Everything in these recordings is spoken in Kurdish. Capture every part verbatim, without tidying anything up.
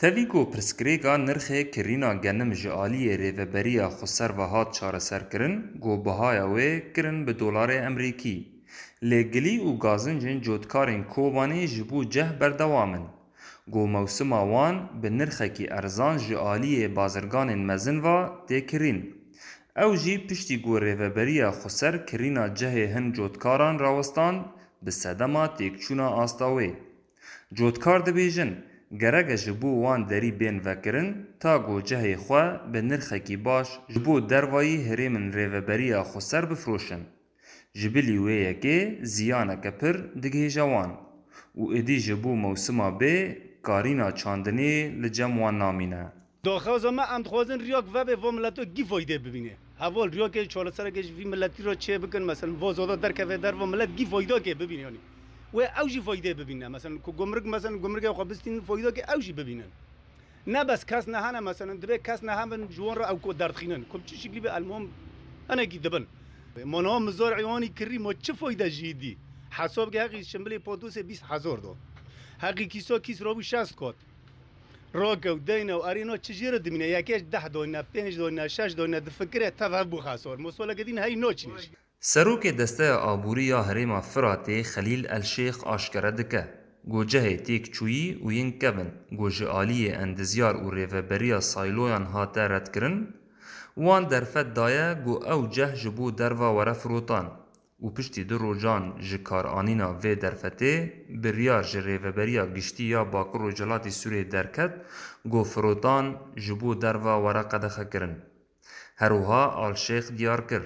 Tevî ku pirsgirêka nirxê kirîna genim ji aliyê Rêveberiya Xweser ve hat çareserkirin, ku bihaya wê kirin bi dolarê Emerîkî. Lê gilî û gazincên cotkarên Kobanê ji bo ceh berdewam in, ku mewsima wan bi nirxekî erzan ji aliyê bazirganên mezin ve tê kirîn. Ew jî piştî ku Rêveberiya Xweser kirîna cehê hin cotkaran rawestand, bi sedema têkçûna asta wê. Cotkar dibêjin, gerek e ji bo wan derî bên vekirin, ta ku cehê xwe bi nirxekî baş ji bo dervayî herêmên Rêveberiya Xweser bifiroşin. Ji bilî wê yekê ziyaneke pir digihêje wan û êdî ji bo mewsima bê karîna çandinê li cem wan namîne. Daxwaza me, em dixwazin riyak vebe va mileto gî faydê bibîne. Heval riyakê çaresereke ji vî miletî re çê bikin, meselen, va zada derkeve derva milet gî faydakê bibîne, yanî. Wê ew jî faydê bibîne. Meselen, ku gumruk, meselen, gumrukê xwe bistînin, faydakê ew jî bibînin. Ne bes kes nehene, meselen, dibê kes nehebin, ji wan re ew ku derdixînin. Ku bi çi şiklî be, elmuhim hinekî dibin. Ma niha mizar êwanî kirî, ma çi fayde jî dî? Hesab ke heqî şimbilê patosê bîst hezar da. Heqî kîsa kîs rabû şest kat. Rakew, deyne û erê na çi jê re dimîne? Yekê deh dayne, pênc dayne, şeş dayne, difikire, tev hebû xesar. Mosoleke din hey naçine jî. Serokê Desteya Aborî ya Herêma Firatê Xelîl El Şêx aşkere dike, ku cehê têkçûyî û yên kevin, ku ji aliyê endizyar û rêveberiya sayloyan hate redkirin, wan derfet daye ku ew ceh ji bo derva were firotan û piştî du rojan ji karanîna vê derfetê biryar ji Rêveberiya Giştî ya Bakur Rojhilatî Sûriyê derket, ku firotan ji bo derva were qedexekirin. Her wiha Al Şêx diyar kir,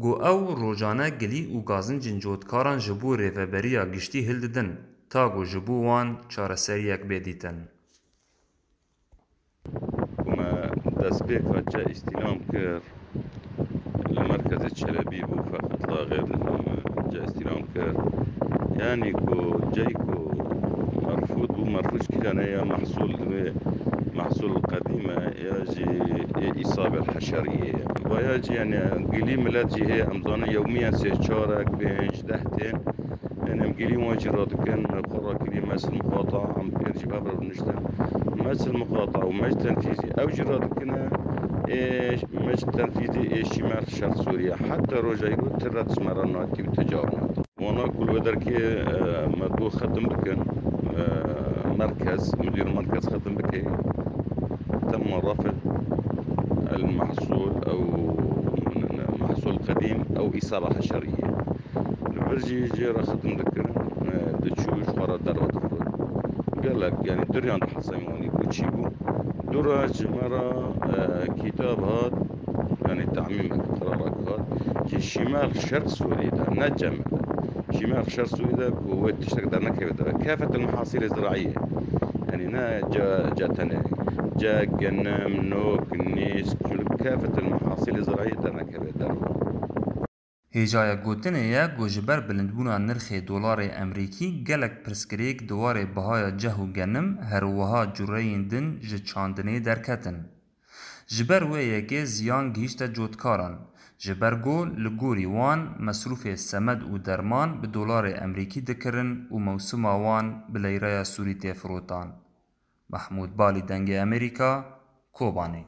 ku ew rojane gilî û gazincên cotkaran ji bo Rêveberiya Giştî hildidin, ta ku ji bo wan çareseriyek bê dîtin. Ku me destpêka ce îstîlam kir, li merkezê Çelebî bû, feqet la xêr didin me ce îstîlam kir. Yanî ku cey ku merfûd bû, merfûd ji kîjan e? Ya mehsûl divê mehsûl qedîm e, ya jî ê îsabê heşeriyê ye. Vaya jî, yanî, gilî milet jî heye, em zanin yewmiyen sê çarek, pênc, deh tên. Yanî em gilî wan jî radikin, xwe rakirî mesil muqata, em pêr jî hev re biniştin. Mesil muqata û mec tenfîzî ew jî radikine, ê mec tenfîzî ê şîmer şer Sûriye. Heta roja îro ti red ji me re nayetî û ti car nayetî. Wana ku li wê derkê, e, me got xetim bikin, e, merkez, mudîr merkez xetim bike. Temma rafid el mehsûl ew mehsûl qedîm ew îsaba heşeriyê. Li vir jî jê re xetim dikirin, e, diçû ji xwe re derve dixwar. Gelek, yanî duriyan dihesemî wanî ku çî bû. Dû re ji me re, e, kîtab hat, yanî temîmek, qerarak hat. Ji şîmer şer Sûriyê de, ne cem de. Şîmer şer Sûriyê de ku wê tiştek dernekeve de. Kafet el mehasîlê ziraiyê. Yanî ne ce, ce tenê. Ce, genim, nok, nîsk, çûlik kafet el mehasîlê ziraiyê dernekeve derve. Hêjaya gotinê ye ku ji ber bilindbûna nirxê dolarê Emerîkî gelek pirsgirêk di warê bihaya ceh û genim, her wiha cureyên din ji çandinê derketin. Ji ber wê yekê ziyan gihîşte cotkaran, ji ber ku li gorî wan mesrûfê semed û derman bi dolarê Emerîkî dikirin û mewsima wan bi leyreya Sûrî tê firotan. Mehmûd Balî, Dengê Emerîka, Kobanê.